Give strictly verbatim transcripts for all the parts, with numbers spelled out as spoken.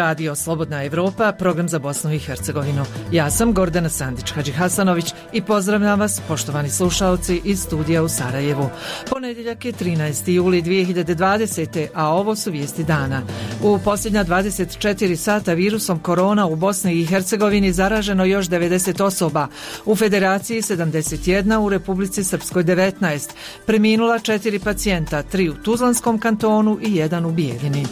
Radio Slobodna Evropa, program za Bosnu i Hercegovinu. Ja sam Gordana Sandić-Hadžihasanović i pozdravljam vas, poštovani slušaoci, iz studija u Sarajevu. Ponedjeljak je trinaesti juli dvije hiljade dvadesete. a ovo su vijesti dana. U posljednja dvadeset četiri sata virusom korona u Bosni i Hercegovini zaraženo još devedeset osoba, u Federaciji sedamdeset jedna, u Republici Srpskoj devetnaest. Preminula četiri pacijenta, tri u Tuzlanskom kantonu i jedan u Bijeljini.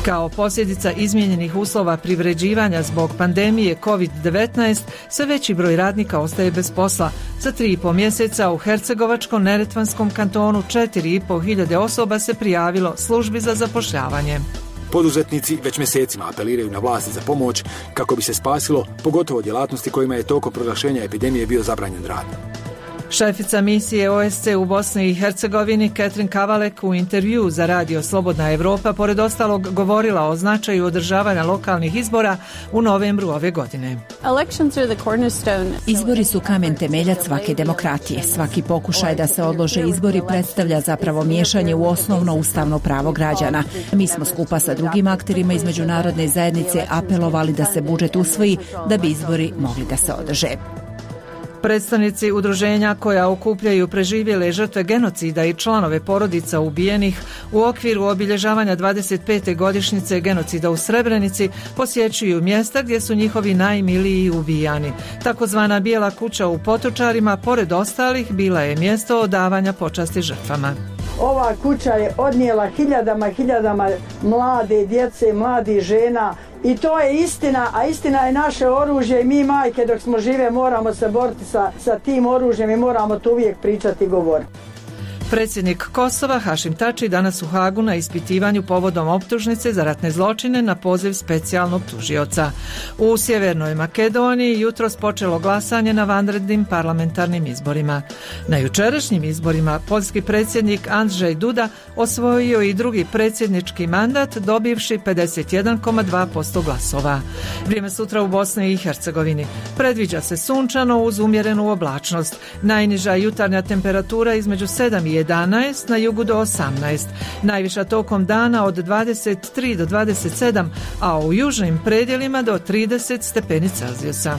Kao posljedica izmijenjenih uslova privređivanja zbog pandemije kovid devetnaest, sve veći broj radnika ostaje bez posla. Za tri i po mjeseca u Hercegovačko-Neretvanskom kantonu četiri i po hiljade osoba se prijavilo službi za zapošljavanje. Poduzetnici već mjesecima apeliraju na vlasti za pomoć kako bi se spasilo, pogotovo djelatnosti kojima je tokom proglašenja epidemije bio zabranjen rad. Šefica misije O S C u Bosni i Hercegovini Ketrin Kavalek u intervjuu za Radio Slobodna Evropa pored ostalog govorila o značaju održavanja lokalnih izbora u novembru ove godine. Izbori su kamen temeljac svake demokratije. Svaki pokušaj da se odlože izbori predstavlja zapravo miješanje u osnovno ustavno pravo građana. Mi smo skupa sa drugim akterima iz međunarodne zajednice apelovali da se budžet usvoji da bi izbori mogli da se održe. Predstavnici udruženja koja okupljaju preživjele žrtve genocida i članove porodica ubijenih u okviru obilježavanja dvadeset pete godišnjice genocida u Srebrenici posjećuju mjesta gdje su njihovi najmiliji ubijani. Takozvana Bijela kuća u Potočarima, pored ostalih, bila je mjesto odavanja počasti žrtvama. Ova kuća je odnijela hiljadama i hiljadama mlade djece, mladih žena. I to je istina, a istina je naše oružje i mi majke dok smo žive moramo se boriti sa, sa tim oružjem i moramo to uvijek pričati i govoriti. Predsjednik Kosova Hašim Tači danas u Hagu na ispitivanju povodom optužnice za ratne zločine na poziv specijalnog tužioca. U Sjevernoj Makedoniji jutros počelo glasanje na vanrednim parlamentarnim izborima. Na jučerašnjim izborima poljski predsjednik Andrzej Duda osvojio i drugi predsjednički mandat dobivši pedeset jedan zarez dva posto glasova. Vrijeme sutra u Bosni i Hercegovini. Predviđa se sunčano uz umjerenu oblačnost. Najniža jutarnja temperatura između sedam i jedanaest, na jugu do osamnaest. Najviša tokom dana od dvadeset tri do dvadeset sedam, a u južnim predjelima do trideset stepeni Celzijusa.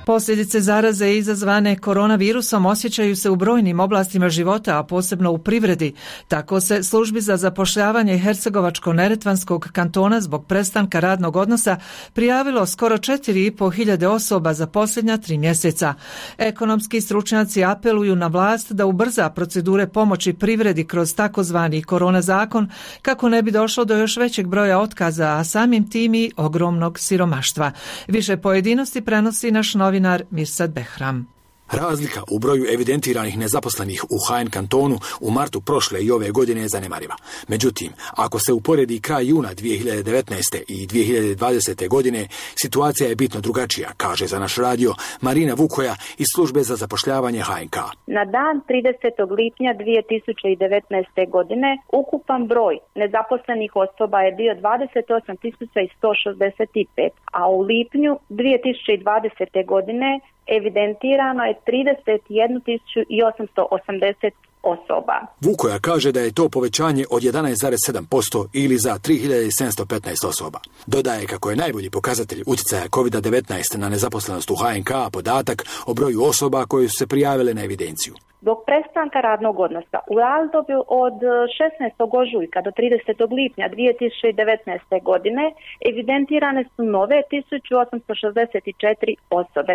Posljedice zaraze izazvane koronavirusom osjećaju se u brojnim oblastima života, a posebno u privredi. Tako se službi za zapošljavanje Hercegovačko-Neretvanskog kantona zbog prestanka radnog odnosa prijavilo skoro četiri i po hiljade osoba za posljednja tri mjeseca. Ekonomski stručnjaci apeluju na vlast da ubrza procedure pomoći privredi kroz takozvani korona zakon kako ne bi došlo do još većeg broja otkaza, a samim tim i ogromnog siromaštva. Više pojedinosti prenosi naš novinar Mirsad Behram. Razlika u broju evidentiranih nezaposlenih u H N kantonu u martu prošle i ove godine je zanemariva. Međutim, ako se uporedi kraj juna dvije hiljade devetnaeste. i dvije hiljade dvadesete. godine, situacija je bitno drugačija, kaže za naš radio Marina Vukoja iz službe za zapošljavanje H N K. Na dan tridesetog lipnja dvije tisuće devetnaeste. godine ukupan broj nezaposlenih osoba je bio dvadeset osam tisuća sto šezdeset pet, a u lipnju dvije tisuće dvadesete. godine evidentirano je trideset jednu tisuću osamsto osamdeset osoba. Vukoja kaže da je to povećanje od jedanaest zarez sedam posto ili za tri hiljade sedamsto petnaest osoba. Dodaje kako je najbolji pokazatelj utjecaja kovid devetnaest na nezaposlenost u H N K podatak o broju osoba koje su se prijavile na evidenciju. Zbog prestanka radnog odnosa u razdoblju od šesnaestog ožujka do tridesetog lipnja dvije tisuće devetnaeste. godine evidentirane su nove tisuću osamsto šezdeset četiri osobe.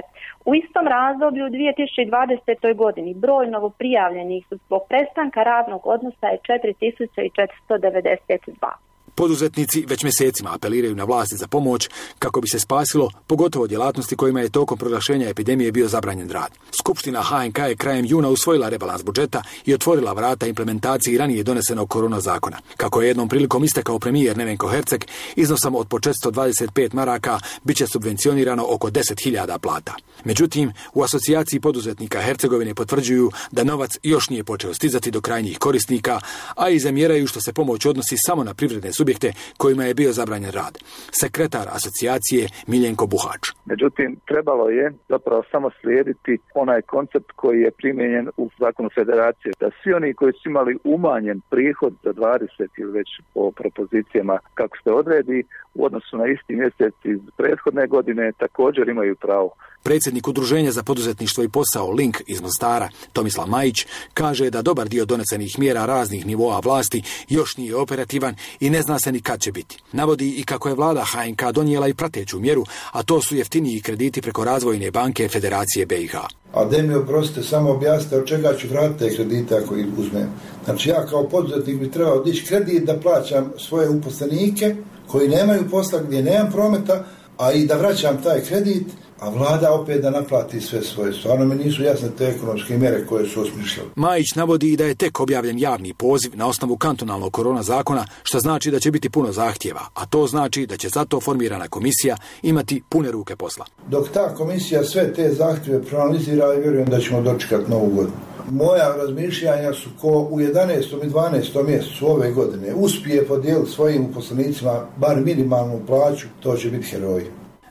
U istom razdoblju u dvije tisuće dvadesete. godini broj novoprijavljenih zbog prestanka radnog odnosa je četiri tisuće četiristo devedeset dva. Poduzetnici već mjesecima apeliraju na vlasti za pomoć kako bi se spasilo, pogotovo djelatnosti kojima je tokom proglašenja epidemije bio zabranjen rad. Skupština H N K je krajem juna usvojila rebalans budžeta i otvorila vrata implementaciji ranije donesenog korona zakona. Kako je jednom prilikom istakao premijer Nevenko Herceg, iznosom od po četiristo dvadeset pet maraka bit će subvencionirano oko deset hiljada plata. Međutim, u asocijaciji poduzetnika Hercegovine potvrđuju da novac još nije počeo stizati do krajnjih korisnika, a i zamjeraju što se pomoć odnosi samo na privredne subjekte subjekte kojima je bio zabranjen rad. Sekretar asocijacije Miljenko Buhač. Međutim, trebalo je zapravo samo slijediti onaj koncept koji je primijenjen u zakonu federacije, da svi oni koji su imali umanjen prihod za dvadeset ili već po propozicijama kako se odredi u odnosu na isti mjesec iz prethodne godine također imaju pravo. Predsjednik Udruženja za poduzetništvo i posao Link iz Mostara, Tomislav Majić, kaže da dobar dio donesenih mjera raznih nivoa vlasti još nije operativan i ne zna se ni kad će biti. Navodi i kako je vlada H N K donijela i prateću mjeru, a to su jeftiniji krediti preko Razvojne banke Federacije B i H. A da mi oprostite, samo objasnite od čega ću vratiti te kredite ako ih uzmem. Znači ja kao poduzetnik bi trebao dići kredit da plaćam svoje uposlenike koji nemaju posla, gdje nemam prometa, a i da vraćam taj kredit, a vlada opet da naplati sve svoje. Stvarno mi nisu jasne te ekonomske mjere koje su osmišljali. Majić navodi i da je tek objavljen javni poziv na osnovu kantonalnog korona zakona, što znači da će biti puno zahtjeva, a to znači da će zato formirana komisija imati pune ruke posla. Dok ta komisija sve te zahtjeve proanalizira, i vjerujem da ćemo dočekati novu godinu. Moja razmišljanja su ko u jedanaestom i dvanaestom mjesecu ove godine uspije podijeliti svojim uposlenicima bar minimalnu plaću, to će biti heroji.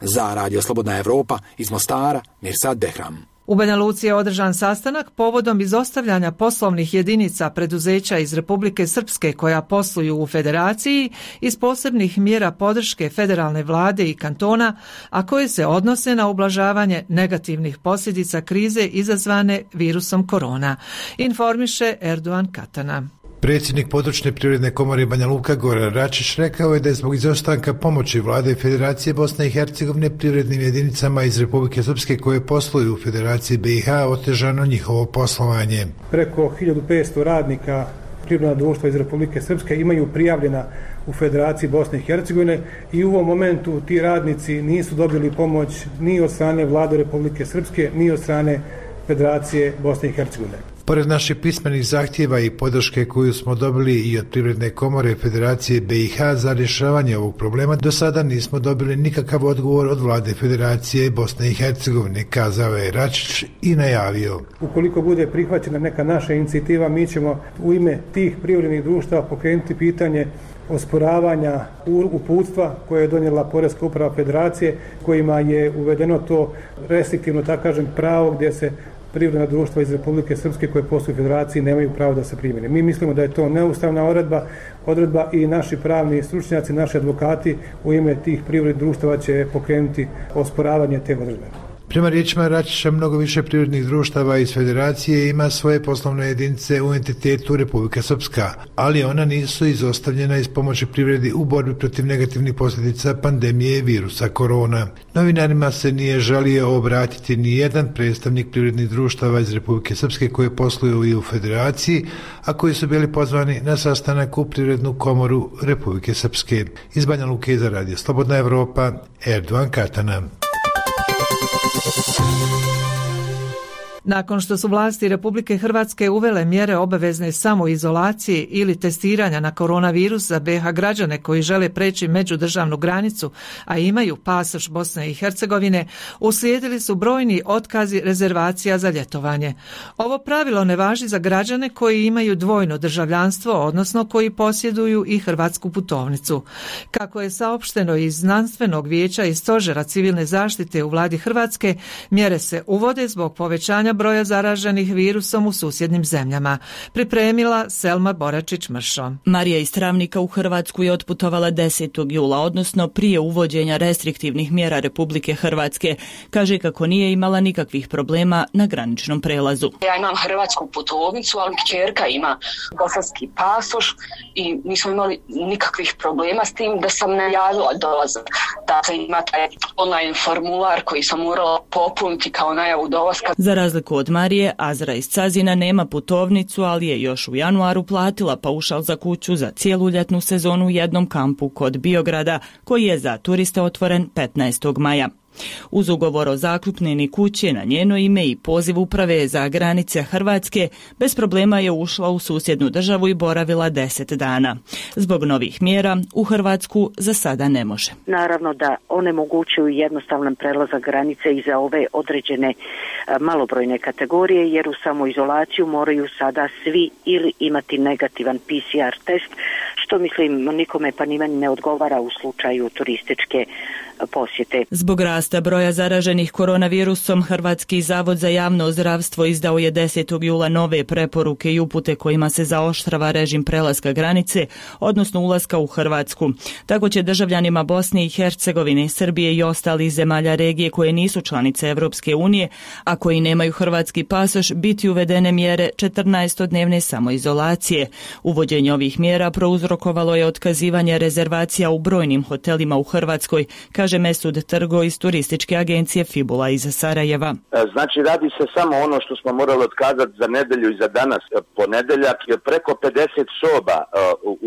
Za Radio Slobodna Evropa iz Mostara, Mirsad Behram. U Banja Luci je održan sastanak povodom izostavljanja poslovnih jedinica preduzeća iz Republike Srpske koja posluju u federaciji iz posebnih mjera podrške federalne vlade i kantona, a koje se odnose na ublažavanje negativnih posljedica krize izazvane virusom korona, informiše Erdogan Katana. Predsjednik područne privredne komore Banja Luka Goran Račić rekao je da je zbog izostanka pomoći vlade i Federacije Bosne i Hercegovine privrednim jedinicama iz Republike Srpske koje posluju u Federaciji B i H otežano njihovo poslovanje. Preko hiljadu petsto radnika privredna društva iz Republike Srpske imaju prijavljena u Federaciji Bosne i Hercegovine i u ovom momentu ti radnici nisu dobili pomoć ni od strane vlade Republike Srpske ni od strane Federacije Bosne i Hercegovine. Pored naših pismenih zahtjeva i podrške koju smo dobili i od Privredne komore Federacije B i H za rješavanje ovog problema, do sada nismo dobili nikakav odgovor od vlade Federacije Bosne i Hercegovine, kazao je Račić i najavio. Ukoliko bude prihvaćena neka naša inicijativa, mi ćemo u ime tih privrednih društava pokrenuti pitanje osporavanja uputstva koje je donijela Poreska uprava Federacije, kojima je uvedeno to restriktivno, tako kažem, pravo gdje se privredna društva iz Republike Srpske koje posluju u Federaciji nemaju pravo da se primjene. Mi mislimo da je to neustavna odredba, odredba i naši pravni stručnjaci, naši advokati u ime tih privrednih društava će pokrenuti osporavanje te odredbe. Prema riječima Račića, mnogo više privrednih društava iz Federacije ima svoje poslovne jedinice u entitetu Republika Srpska, ali ona nisu izostavljena iz pomoći privredi u borbi protiv negativnih posljedica pandemije virusa korona. Novinarima se nije želio obratiti ni jedan predstavnik privrednih društava iz Republike Srpske koje posluju i u Federaciji, a koji su bili pozvani na sastanak u Privrednu komoru Republike Srpske. Iz Banja Luke za Radio Slobodna Evropa, Erdogan Katana. Nakon što su vlasti Republike Hrvatske uvele mjere obavezne samoizolacije ili testiranja na koronavirus za B H građane koji žele preći međudržavnu granicu, a imaju pasoš Bosne i Hercegovine, uslijedili su brojni otkazi rezervacija za ljetovanje. Ovo pravilo ne važi za građane koji imaju dvojno državljanstvo, odnosno koji posjeduju i hrvatsku putovnicu. Kako je saopšteno iz Znanstvenog vijeća i Stožera civilne zaštite u vladi Hrvatske, mjere se uvode zbog povećanja broja zaraženih virusom u susjednim zemljama. Pripremila Selma Boračić-Mršo. Marija iz Travnika u Hrvatsku je otputovala desetog jula, odnosno prije uvođenja restriktivnih mjera Republike Hrvatske. Kaže kako nije imala nikakvih problema na graničnom prelazu. Ja imam hrvatsku putovnicu, ali kćerka ima bosanski pasoš i nismo imali nikakvih problema s tim da sam najavila dolazak. Dakle, ima taj online formular koji sam morala popuniti kao najavu dolaska. Za razliku od Marije, Azra iz Cazina nema putovnicu, ali je još u januaru platila paušal za kuću za cijelu ljetnu sezonu u jednom kampu kod Biograda, koji je za turiste otvoren petnaestog maja. Uz ugovor o zakupnini kuće na njeno ime i poziv uprave za granice Hrvatske, bez problema je ušla u susjednu državu i boravila deset dana. Zbog novih mjera u Hrvatsku za sada ne može. Naravno da onemogućuju jednostavan prelazak granice i za ove određene malobrojne kategorije, jer u samoizolaciju moraju sada svi ili imati negativan P C R test, što mislim nikome pa ni meni ne odgovara u slučaju turističke posjete. Zbog rasta broja zaraženih koronavirusom, Hrvatski zavod za javno zdravstvo izdao je desetog jula nove preporuke i upute kojima se zaoštrava režim prelaska granice, odnosno ulaska u Hrvatsku. Tako će državljanima Bosne i Hercegovine, Srbije i ostalih zemalja regije koje nisu članice Evropske unije, a koji nemaju hrvatski pasoš, biti uvedene mjere četrnaestodnevne samoizolacije. Uvođenje ovih mjera prouzrokovalo je otkazivanje rezervacija u brojnim hotelima u Hrvatskoj, kaže Mesud Trgo iz turističke agencije Fibula iz Sarajeva. Znači radi se samo ono što smo morali otkazati za nedelju i za danas ponedeljak, jer preko pedeset soba,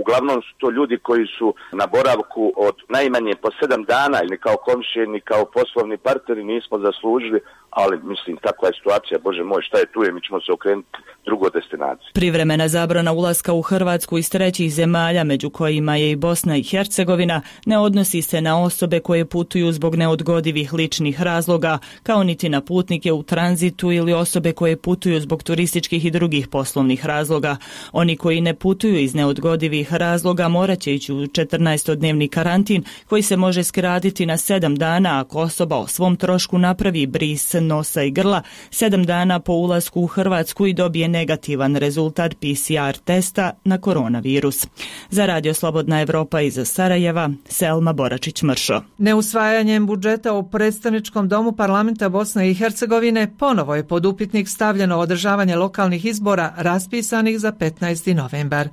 uglavnom su to ljudi koji su na boravku od najmanje po sedam dana, ili kao komšije, ni kao poslovni partneri nismo zaslužili, ali mislim takva je situacija, bože moj, šta je tu je, mi ćemo se okrenuti drugoj destinaciji. Privremena zabrana ulaska u Hrvatsku iz trećih zemalja, među kojima je i Bosna i Hercegovina, ne odnosi se na osobe koje putuju zbog neodgodivih ličnih razloga, kao niti na putnike u tranzitu ili osobe koje putuju zbog turističkih i drugih poslovnih razloga. Oni koji ne putuju iz neodgodivih razloga morat će ići u četrnaestodnevni karantin, koji se može skratiti na sedam dana ako osoba o svom trošku napravi bris nosa i grla sedam dana po ulasku u Hrvatsku i dobije negativan rezultat P C R testa na koronavirus. Za Radio Slobodna Evropa iz Sarajeva, Selma Boračić-Mršo. Neusvajanjem budžeta u predstavničkom domu parlamenta Bosne i Hercegovine ponovo je pod upitnik stavljeno održavanje lokalnih izbora raspisanih za petnaesti novembar.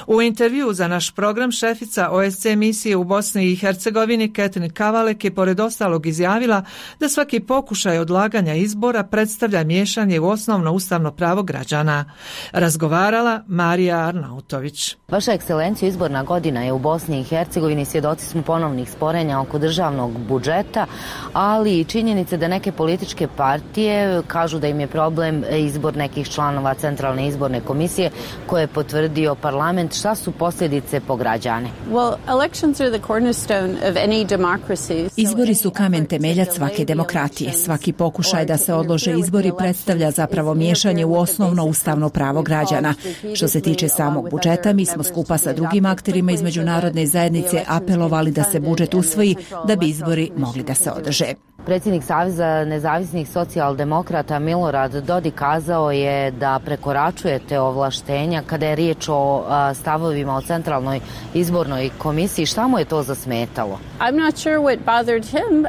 U intervju za naš program šefica O S C E misije u Bosni i Hercegovini Ketrin Kavalek je pored ostalog izjavila da svaki pokušaj odlaganja izbora predstavlja miješanje u osnovno ustavno pravo građana. Razgovarala Marija Arnautović. Vaša ekscelencijo, izborna godina je u Bosni i Hercegovini, svjedoci smo ponovnih sporenja oko državnog budžeta, ali i činjenice da neke političke partije kažu da im je problem izbor nekih članova Centralne izborne komisije koje je potvrdio parlament. Šta su posljedice po građane? Izbori su kamen temeljac svake demokratije. Svaki pokušaj da se odlože izbori predstavlja zapravo miješanje u osnovno ustavno pravo građana. Što se tiče samog budžeta, mi smo skupa sa drugim akterima iz međunarodne zajednice apelovali da se budžet usvoji da bi izbori mogli da se održe. Predsjednik Saveza nezavisnih socijaldemokrata Milorad Dodik kazao je da prekoračujete ovlaštenja kada je riječ o a, stavovima o Centralnoj izbornoj komisiji. Šta mu je to zasmetalo?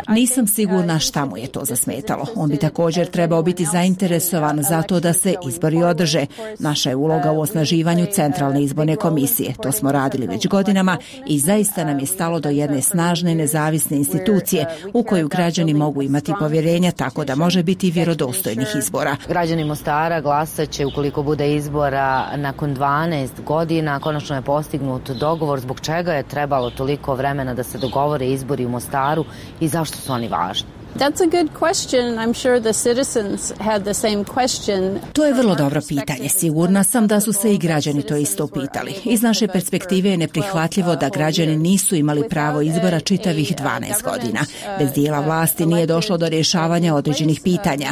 Nisam sigurna šta mu je to zasmetalo. On bi također trebao biti zainteresovan za to da se izbori održe. Naša je uloga u osnaživanju Centralne izborne komisije. To smo radili već godinama i zaista nam je stalo do jedne snažne nezavisne institucije u koju građani mogu imati povjerenja, tako da može biti vjerodostojnih izbora. Građani Mostara glasat će ukoliko bude izbora nakon dvanaest godina. Konačno je postignut dogovor. Zbog čega je trebalo toliko vremena da se dogovore izbori u Mostaru i zašto su oni važni? That's a good question. I'm sure the citizens had the same question. To je vrlo dobro pitanje. Sigurna sam da su se i građani to isto pitali. Iz naše perspektive je neprihvatljivo da građani nisu imali pravo izbora čitavih dvanaest godina. Bez dijela vlasti nije došlo do rješavanja određenih pitanja.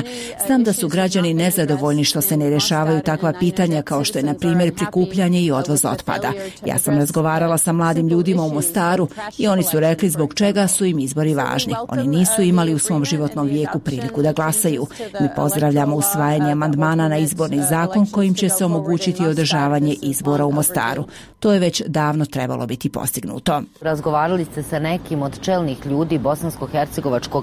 Znam da su građani nezadovoljni što se ne rješavaju takva pitanja kao što je na primjer prikupljanje i odvoz otpada. Ja sam razgovarala sa mladim ljudima u Mostaru i oni su rekli zbog čega su im izbori važni. Oni nisu imali u svom životnom vijeku priliku da glasaju. Mi pozdravljamo usvajanje amandmana na izborni zakon kojim će se omogućiti održavanje izbora u Mostaru. To je već davno trebalo biti postignuto. Razgovarali ste sa nekim od čelnih ljudi bosansko-hercegovačkog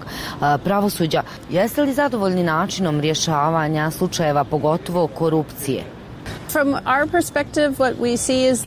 pravosuđa. Jeste li zadovoljni načinom rješavanja slučajeva, pogotovo korupcije?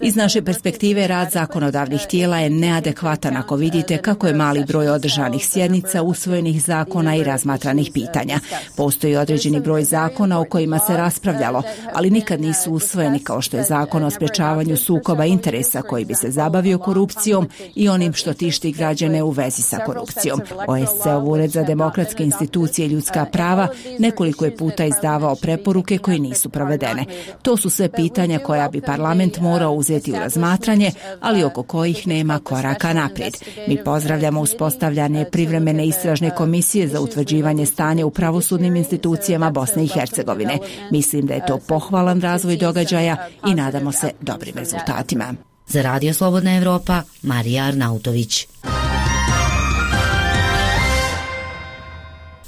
Iz naše perspektive rad zakonodavnih tijela je neadekvatan ako vidite kako je mali broj održanih sjednica, usvojenih zakona i razmatranih pitanja. Postoji određeni broj zakona o kojima se raspravljalo, ali nikad nisu usvojeni, kao što je zakon o sprečavanju sukoba interesa koji bi se zabavio korupcijom i onim što tišti građane u vezi sa korupcijom. O S C-ov Ured za demokratske institucije i ljudska prava nekoliko je puta izdavao preporuke koje nisu provedene. To su sve pitanja koja bi parlament morao uzeti u razmatranje, ali oko kojih nema koraka naprijed. Mi pozdravljamo uspostavljanje privremene istražne komisije za utvrđivanje stanja u pravosudnim institucijama Bosne i Hercegovine. Mislim da je to pohvalan razvoj događaja i nadamo se dobrim rezultatima. Za Radio Slobodna Evropa, Marija Arnautović.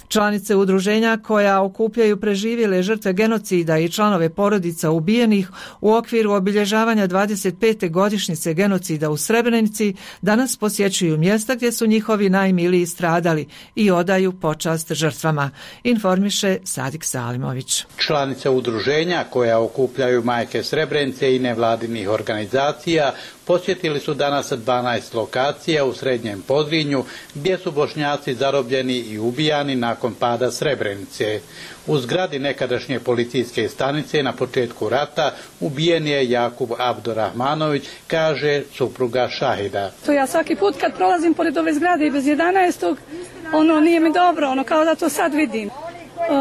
Članice udruženja koja okupljaju preživjele žrtve genocida i članove porodica ubijenih u okviru obilježavanja dvadeset pete godišnjice genocida u Srebrenici danas posjećuju mjesta gdje su njihovi najmiliji stradali i odaju počast žrtvama, informiše Sadik Salimović. Članice udruženja koja okupljaju majke Srebrenice i nevladinih organizacija posjetili su danas dvanaest lokacija u Srednjem Podrinju gdje su Bošnjaci zarobljeni i ubijani nakon pada Srebrenice. U zgradi nekadašnje policijske stanice na početku rata ubijen je Jakub Abdurahmanović, kaže supruga šahida. To ja svaki put kad prolazim pored ove zgrade i bez jedanaestog, ono nije mi dobro, ono kao da to sad vidim.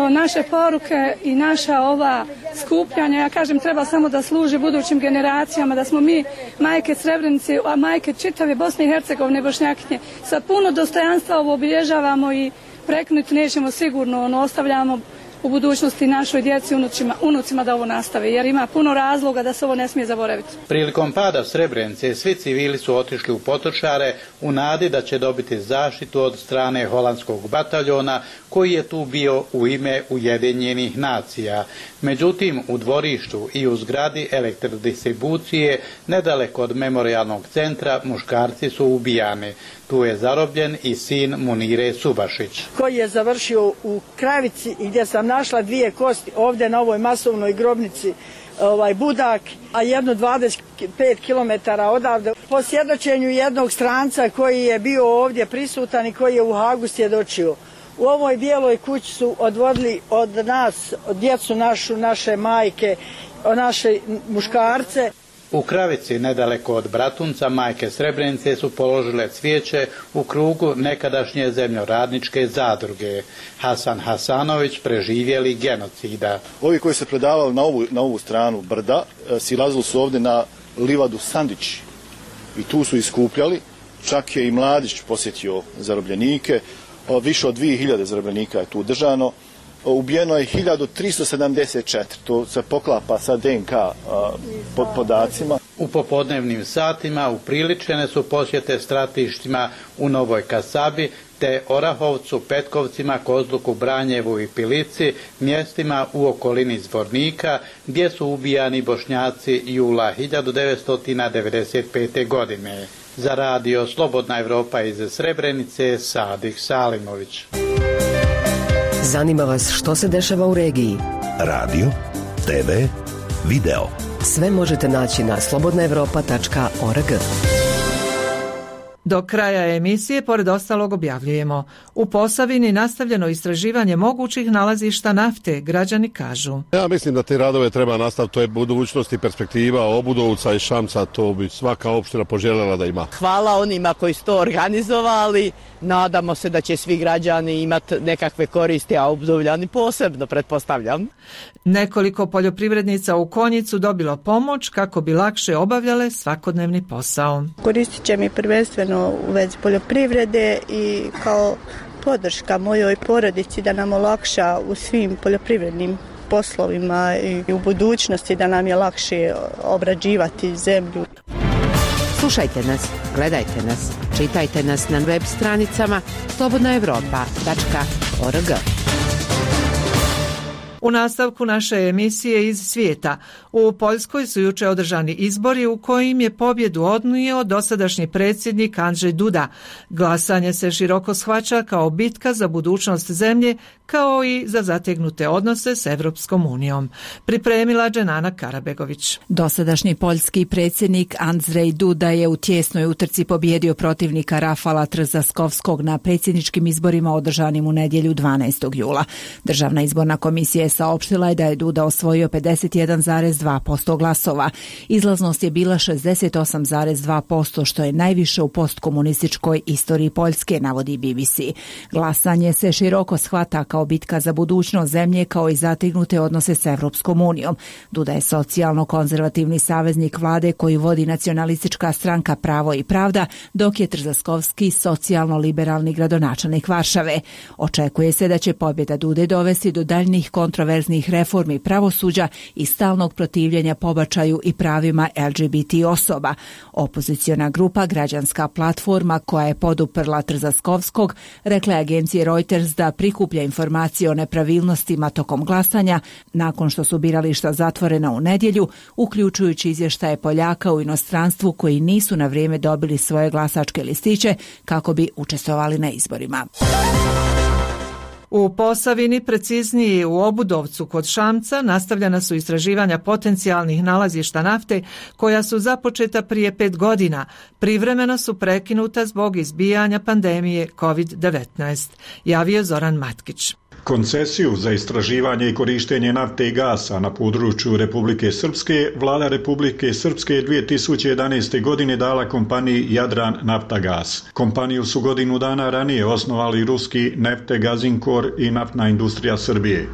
Naše poruke i naša ova skupljanja, ja kažem, treba samo da služi budućim generacijama, da smo mi majke Srebrenice, a majke čitave Bosne i Hercegovine, Bošnjakinje, sa puno dostojanstva ovo obilježavamo i prekinuti nećemo sigurno, ono ostavljamo u budućnosti našoj djeci, unucima, unucima da ovo nastave, jer ima puno razloga da se ovo ne smije zaboraviti. Prilikom pada Srebrenice svi civili su otišli u potočare u nadi da će dobiti zaštitu od strane holandskog bataljona koji je tu bio u ime Ujedinjenih nacija. Međutim, u dvorištu i u zgradi elektrodistribucije nedaleko od memorijalnog centra muškarci su ubijani. Tu je zarobljen i sin Munire Subašić. Koji je završio u Kravici i gdje sam našla dvije kosti ovdje na ovoj masovnoj grobnici, ovaj Budak, a jedno dvadeset pet kilometara odavde. Po svjedočenju jednog stranca koji je bio ovdje prisutan i koji je u Hagu svjedočio. U ovoj bijeloj kući su odvodili od nas, od djecu našu, naše majke, naše muškarce. U Kravici, nedaleko od Bratunca, majke Srebrenice su položile cvijeće u krugu nekadašnje zemljoradničke zadruge. Hasan Hasanović, preživjeli genocida. Ovi koji se predavali na ovu, na ovu stranu brda, silazili su ovdje na livadu Sandić i tu su iskupljali. Čak je i Mladić posjetio zarobljenike. Više od dvije hiljade zarobljenika je tu držano. Ubijeno je hiljadu tristo sedamdeset četiri, to se poklapa sa D N K pod podacima. U popodnevnim satima upriličene su posjete stratištima u Novoj Kasabi, te Orahovcu, Petkovcima, Kozluku, Branjevu i Pilici, mjestima u okolini Zvornika, gdje su ubijani Bošnjaci jula hiljadu devetsto devedeset pete. godine. Za Radio Slobodna Evropa iz Srebrenice, Sadik Salimović. Zanima vas što se dešava u regiji? Radio, te ve, video. Sve možete naći na slobodna evropa tačka org. Do kraja emisije, pored ostalog, objavljujemo: u Posavini nastavljeno istraživanje mogućih nalazišta nafte, građani kažu. Ja mislim da te radove treba nastaviti, to je budućnost i perspektiva Obudovca i Šamca, to bi svaka opština poželjela da ima. Hvala onima koji su to organizovali, nadamo se da će svi građani imati nekakve koristi, a Obudovljani posebno, pretpostavljam. Nekoliko poljoprivrednica u Konjicu dobilo pomoć kako bi lakše obavljale svakodnevni posao. Koristit će mi prvenstveno u vezi poljoprivrede i kao podrška mojoj porodici da nam olakša u svim poljoprivrednim poslovima i u budućnosti da nam je lakše obrađivati zemlju. Slušajte nas, gledajte nas, čitajte nas na web stranicama slobodna evropa tačka org. U nastavku naše emisije iz svijeta, u Poljskoj su juče održani izbori u kojim je pobjedu odnio dosadašnji predsjednik Andrzej Duda. Glasanje se široko shvaća kao bitka za budućnost zemlje, kao i za zategnute odnose s Evropskom unijom. Pripremila Dženana Karabegović. Dosadašnji poljski predsjednik Andrzej Duda je u tjesnoj utrci pobjedio protivnika Rafala Trzaskovskog na predsjedničkim izborima održanim u nedjelju dvanaestog jula. Državna izborna komisija je saopštila je da je Duda osvojio pedeset jedan zarez dva posto glasova. Izlaznost je bila šezdeset osam zarez dva posto, što je najviše u postkomunističkoj istoriji Poljske, navodi B B C. Glasanje se široko shvata kao bitka za budućnost zemlje, kao i zategnute odnose s Evropskom unijom. Duda je socijalno-konzervativni saveznik vlade koji vodi nacionalistička stranka Pravo i pravda, dok je Trzaskovski socijalno-liberalni gradonačelnik Varšave. Očekuje se da će pobjeda Dude dovesti do daljnjih kontroverznih reformi pravosuđa i stalnog protivljenja pobačaju i pravima L G B T osoba. Opoziciona grupa Građanska platforma, koja je poduprla Trzaskovskog, rekla je agenciji Reuters da prikuplja informacije o nepravilnostima tokom glasanja nakon što su birališta zatvorena u nedjelju, uključujući izvještaje Poljaka u inostranstvu koji nisu na vrijeme dobili svoje glasačke listiće kako bi učestvovali na izborima. U Posavini, preciznije u Obudovcu kod Šamca, nastavljena su istraživanja potencijalnih nalazišta nafte koja su započeta prije pet godina. Privremeno su prekinuta zbog izbijanja pandemije kovid devetnaest, javio Zoran Matkić. Koncesiju za istraživanje i korištenje nafte i gasa na području Republike Srpske vlada Republike Srpske dvije tisuće jedanaeste. godine dala kompaniji Jadran Naftagas. Kompaniju su godinu dana ranije osnovali ruski Neftegazinkor i Naftna industrija Srbije.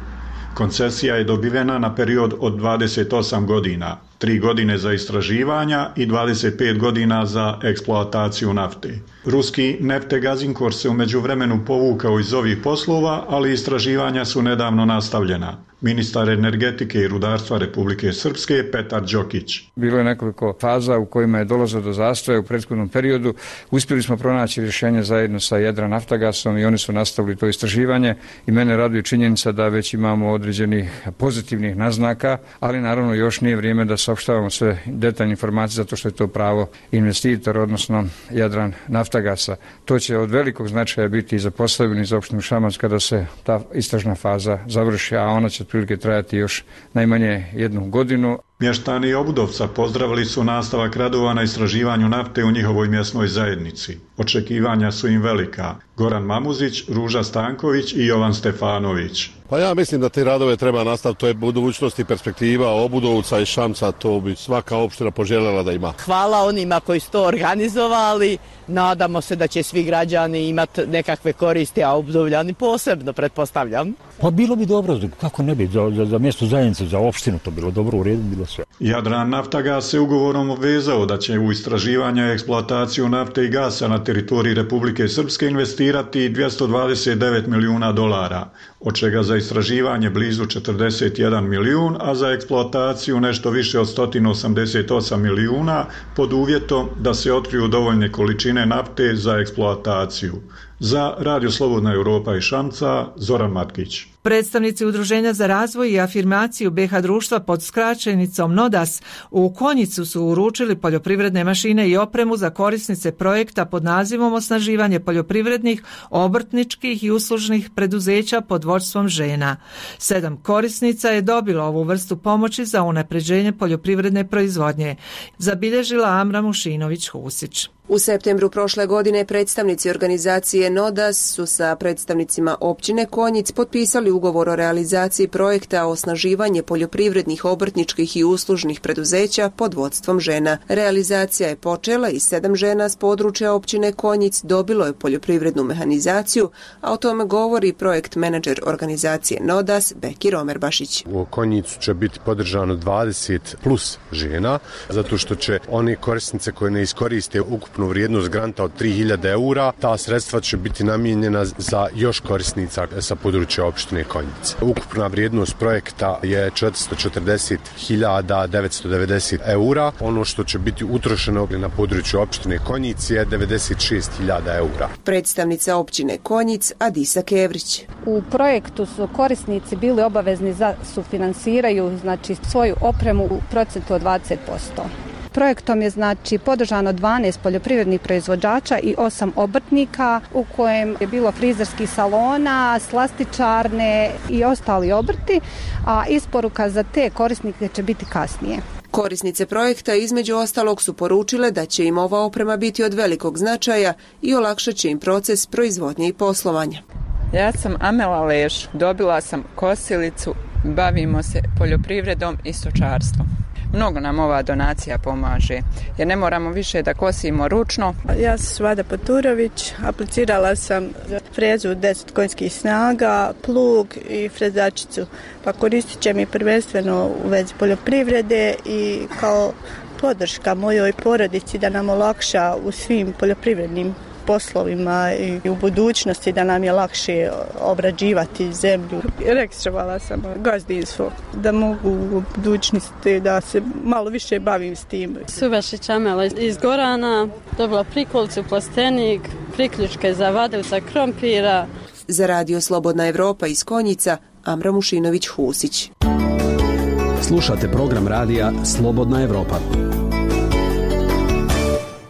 Koncesija je dobivena na period od dvadeset osam godina, tri godine za istraživanja i dvadeset pet godina za eksploataciju nafte. Ruski Neftegazinkor se u međuvremenu povukao iz ovih poslova, ali istraživanja su nedavno nastavljena. Ministar energetike i rudarstva Republike Srpske Petar Đokić. Bilo je nekoliko faza u kojima je dolazilo do zastoja u prethodnom periodu. Uspjeli smo pronaći rješenje zajedno sa Jadran Naftagasom i oni su nastavili to istraživanje i mene raduje činjenica da već imamo određenih pozitivnih naznaka, ali naravno još nije vrijeme da saopštavamo sve detaljne informacije zato što je to pravo investitor, odnosno Jadran Naftagasa. To će od velikog značaja biti i za Posavinu i za opštinu Šamac kada se ta istražna faza završi, a ona će otprilike trajati još najmanje jednu godinu. Mještani Obudovca pozdravili su nastavak radova na istraživanju nafte u njihovoj mjesnoj zajednici. Očekivanja su im velika. Goran Mamuzić, Ruža Stanković i Jovan Stefanović. Pa ja mislim da te radove treba nastaviti, to je budućnost i perspektiva Obudovca i Šamca, to bi svaka opština poželjela da ima. Hvala onima koji su to organizovali, nadamo se da će svi građani imati nekakve koristi, a Obudovljani posebno, pretpostavljam. Pa bilo bi dobro, kako ne bi, za, za, za mjesto zajednice, za opštinu to bilo dobro, u redu bilo sve. Jadran Naftagas se ugovorom obvezao da će u istraživanje i eksploataciju nafte i gasa na teritoriji Republike Srpske investirati dvjesto dvadeset devet milijuna dolara, od čega za istraživanje blizu četrdeset jedan milijun, a za eksploataciju nešto više od sto osamdeset osam milijuna, pod uvjetom da se otkriju dovoljne količine nafte za eksploataciju. Za Radio Slobodna Europa i Šamca, Zoran Matkić. Predstavnici Udruženja za razvoj i afirmaciju B H društva pod skraćenicom NODAS u Konjicu su uručili poljoprivredne mašine i opremu za korisnice projekta pod nazivom Osnaživanje poljoprivrednih, obrtničkih i uslužnih preduzeća pod vodstvom žena. Sedam korisnica je dobilo ovu vrstu pomoći za unapređenje poljoprivredne proizvodnje, zabilježila Amra Mušinović-Husić. U septembru prošle godine predstavnici organizacije NODAS su sa predstavnicima općine Konjic potpisali ugovor o realizaciji projekta Osnaživanje poljoprivrednih, obrtničkih i uslužnih preduzeća pod vodstvom žena. Realizacija je počela i sedam žena s područja općine Konjic dobilo je poljoprivrednu mehanizaciju, a o tome govori projekt menadžer organizacije NODAS Bekir Omerbašić. U Konjicu će biti podržano dvadeset plus žena, zato što će one korisnice koje ne iskoriste ukupno ukupnu vrijednost granta od tri hiljade eura. Ta sredstva će biti namijenjena za još korisnica sa područja opštine Konjice. Ukupna vrijednost projekta je četiristo četrdeset hiljada devetsto devedeset eura. Ono što će biti utrošeno na području opštine Konjice je devedeset šest hiljada eura. Predstavnica općine Konjic Adisa Kevrić. U projektu su korisnici bili obavezni da sufinansiraju znači svoju opremu u procentu od dvadeset posto. Projektom je znači podržano dvanaest poljoprivrednih proizvođača i osam obrtnika u kojem je bilo frizerskih salona, slastičarne i ostali obrti, a isporuka za te korisnike će biti kasnije. Korisnice projekta između ostalog su poručile da će im ova oprema biti od velikog značaja i olakšat će im proces proizvodnje i poslovanja. Ja sam Amela Leš, dobila sam kosilicu, bavimo se poljoprivredom i stočarstvom. Mnogo nam ova donacija pomaže, jer ne moramo više da kosimo ručno. Ja sam Svada Poturović, aplicirala sam za frezu deset konjskih snaga, plug i frezačicu, pa koristit će mi prvenstveno u vezi poljoprivrede i kao podrška mojoj porodici da nam olakša u svim poljoprivrednim poslovima i u budućnosti da nam je lakše obrađivati zemlju. Registrovala sam gazdinstvo da mogu u budućnosti da se malo više bavim s tim. Subašić Amela iz Gorana, dobila prikolicu, plastenik, priključke za vadevca krompira. Za Radio Slobodna Evropa iz Konjica, Amra Mušinović-Husić. Slušate program radija Slobodna Evropa.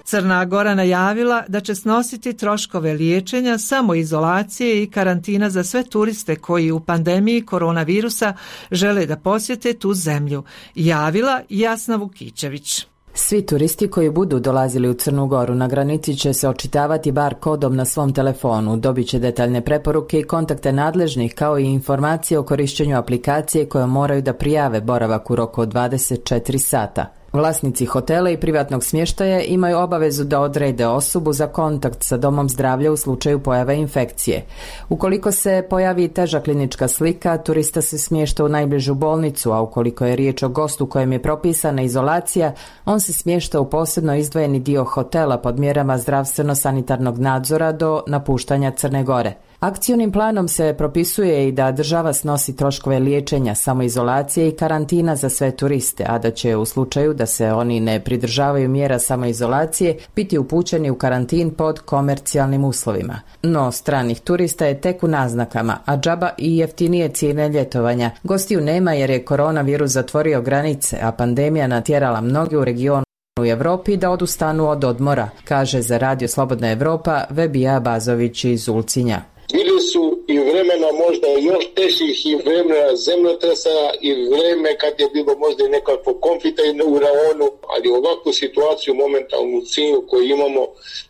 Crna Gora najavila da će snositi troškove liječenja, samoizolacije i karantina za sve turiste koji u pandemiji koronavirusa žele da posjete tu zemlju. Javila Jasna Vukićević. Svi turisti koji budu dolazili u Crnu Goru na granici će se očitavati bar kodom na svom telefonu, dobit će detaljne preporuke i kontakte nadležnih kao i informacije o korišćenju aplikacije koje moraju da prijave boravak u roku od dvadeset četiri sata. Vlasnici hotela i privatnog smještaja imaju obavezu da odrede osobu za kontakt sa domom zdravlja u slučaju pojave infekcije. Ukoliko se pojavi teža klinička slika, turista se smješta u najbližu bolnicu, a ukoliko je riječ o gostu kojem je propisana izolacija, on se smješta u posebno izdvojeni dio hotela pod mjerama zdravstveno-sanitarnog nadzora do napuštanja Crne Gore. Akcionim planom se propisuje i da država snosi troškove liječenja, samoizolacije i karantina za sve turiste, a da će u slučaju da se oni ne pridržavaju mjera samoizolacije biti upućeni u karantin pod komercijalnim uslovima. No, stranih turista je tek u naznakama, a džaba i jeftinije cijene ljetovanja. Gostiju nema jer je koronavirus zatvorio granice, a pandemija natjerala mnoge u regionu u Evropi da odustanu od odmora, kaže za Radio Slobodna Evropa Vebija Bazović iz Ulcinja. Bili su i vremena možda još težih i vremena zemljotresa i vreme kad je bilo možda i nekakvo konflikta u raonu, ali ovakvu situaciju momentalnu cilju koju imamo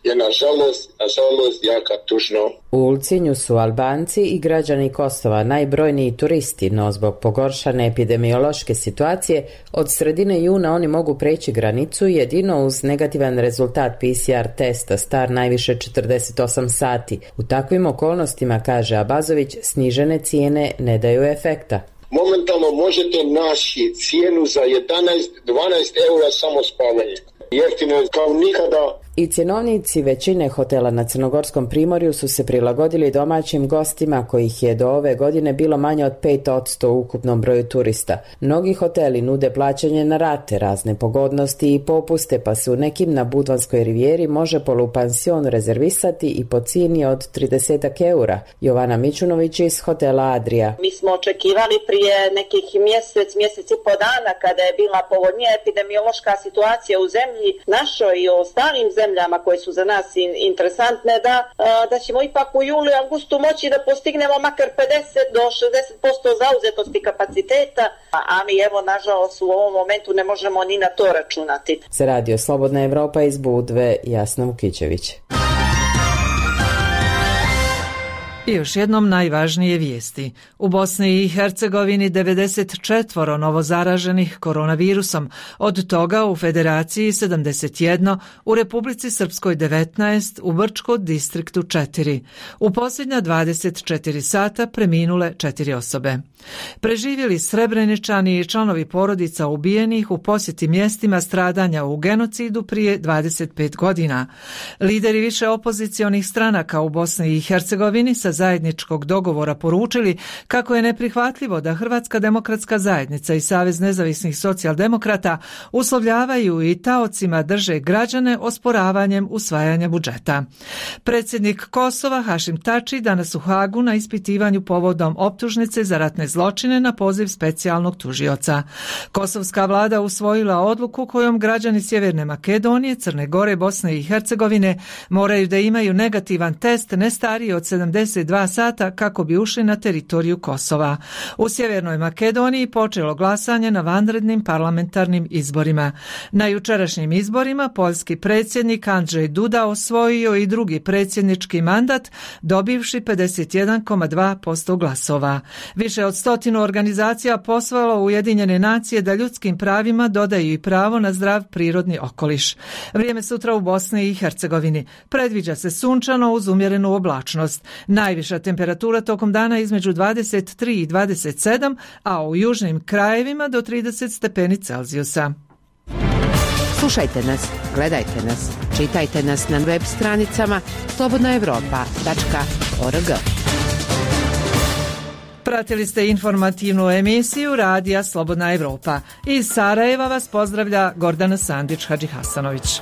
je nažalost, nažalost jaka tužno. U Ulcinju su Albanci i građani Kosova najbrojniji turisti, no zbog pogoršane epidemiološke situacije od sredine juna oni mogu preći granicu jedino uz negativan rezultat P C R testa star najviše četrdeset osam sati. U takvim okolnostima, kaže Abazović, snižene cijene ne daju efekta. Momentalno možete naći cijenu za jedanaest do dvanaest eura samo spavanje. Jeftino je kao nikada. I cjenovnici većine hotela na Crnogorskom primorju su se prilagodili domaćim gostima kojih je do ove godine bilo manje od pet posto u ukupnom broju turista. Mnogi hoteli nude plaćanje na rate, razne pogodnosti i popuste, pa se u nekim na Budvanskoj rivijeri može polupansion rezervisati i po cijeni od trideset eura. Jovana Mićunović iz hotela Adria. Mi smo očekivali prije nekih mjesec, mjesec i po dana kada je bila povoljnija epidemiološka situacija u zemlji našoj i u ostalim zemljama koje su za nas in, interesantne, da, da ćemo ipak u julu i augustu moći da postignemo makar pedeset do šezdeset posto zauzetosti kapaciteta, a mi evo nažalost u ovom momentu ne možemo ni na to računati. Za Radio Slobodna Evropa iz Budve, Jasna Vukićević. I još jednom najvažnije vijesti. U Bosni i Hercegovini devedeset četiri novozaraženih koronavirusom, od toga u Federaciji sedamdeset jedan, u Republici Srpskoj devetnaest, u Brčko distriktu četiri. U posljednja dvadeset četiri sata preminule četiri osobe. Preživjeli Srebreničani i članovi porodica ubijenih u posjeti mjestima stradanja u genocidu prije dvadeset pet godina. Lideri više opozicionih stranaka u Bosni i Hercegovini sa zajedničkog dogovora poručili kako je neprihvatljivo da Hrvatska demokratska zajednica i Savez nezavisnih socijaldemokrata uslovljavaju i taocima drže građane osporavanjem usvajanja budžeta. Predsjednik Kosova Hašim Tači danas u Hagu na ispitivanju povodom optužnice za ratne zločine na poziv specijalnog tužioca. Kosovska vlada usvojila odluku kojom građani Sjeverne Makedonije, Crne Gore, Bosne i Hercegovine moraju da imaju negativan test ne stariji od sedamdeset dva sata kako bi ušli na teritoriju Kosova. U Sjevernoj Makedoniji počelo glasanje na vanrednim parlamentarnim izborima. Na jučerašnjim izborima poljski predsjednik Andrzej Duda osvojio i drugi predsjednički mandat, dobivši pedeset jedan zarez dva posto glasova. Više od stotinu organizacija pozvalo Ujedinjene nacije da ljudskim pravima dodaju i pravo na zdrav prirodni okoliš. Vrijeme sutra u Bosni i Hercegovini predviđa se sunčano uz umjerenu oblačnost. Najviša temperatura tokom dana između dvadeset tri i dvadeset sedam, a u južnim krajevima do trideset stepeni Celzijusa. Slušajte nas, gledajte nas, čitajte nas na web stranicama slobodna evropa tačka org. Pratili ste informativnu emisiju Radija Slobodna Evropa. Iz Sarajeva vas pozdravlja Gordana Sandić Hadžihasanović.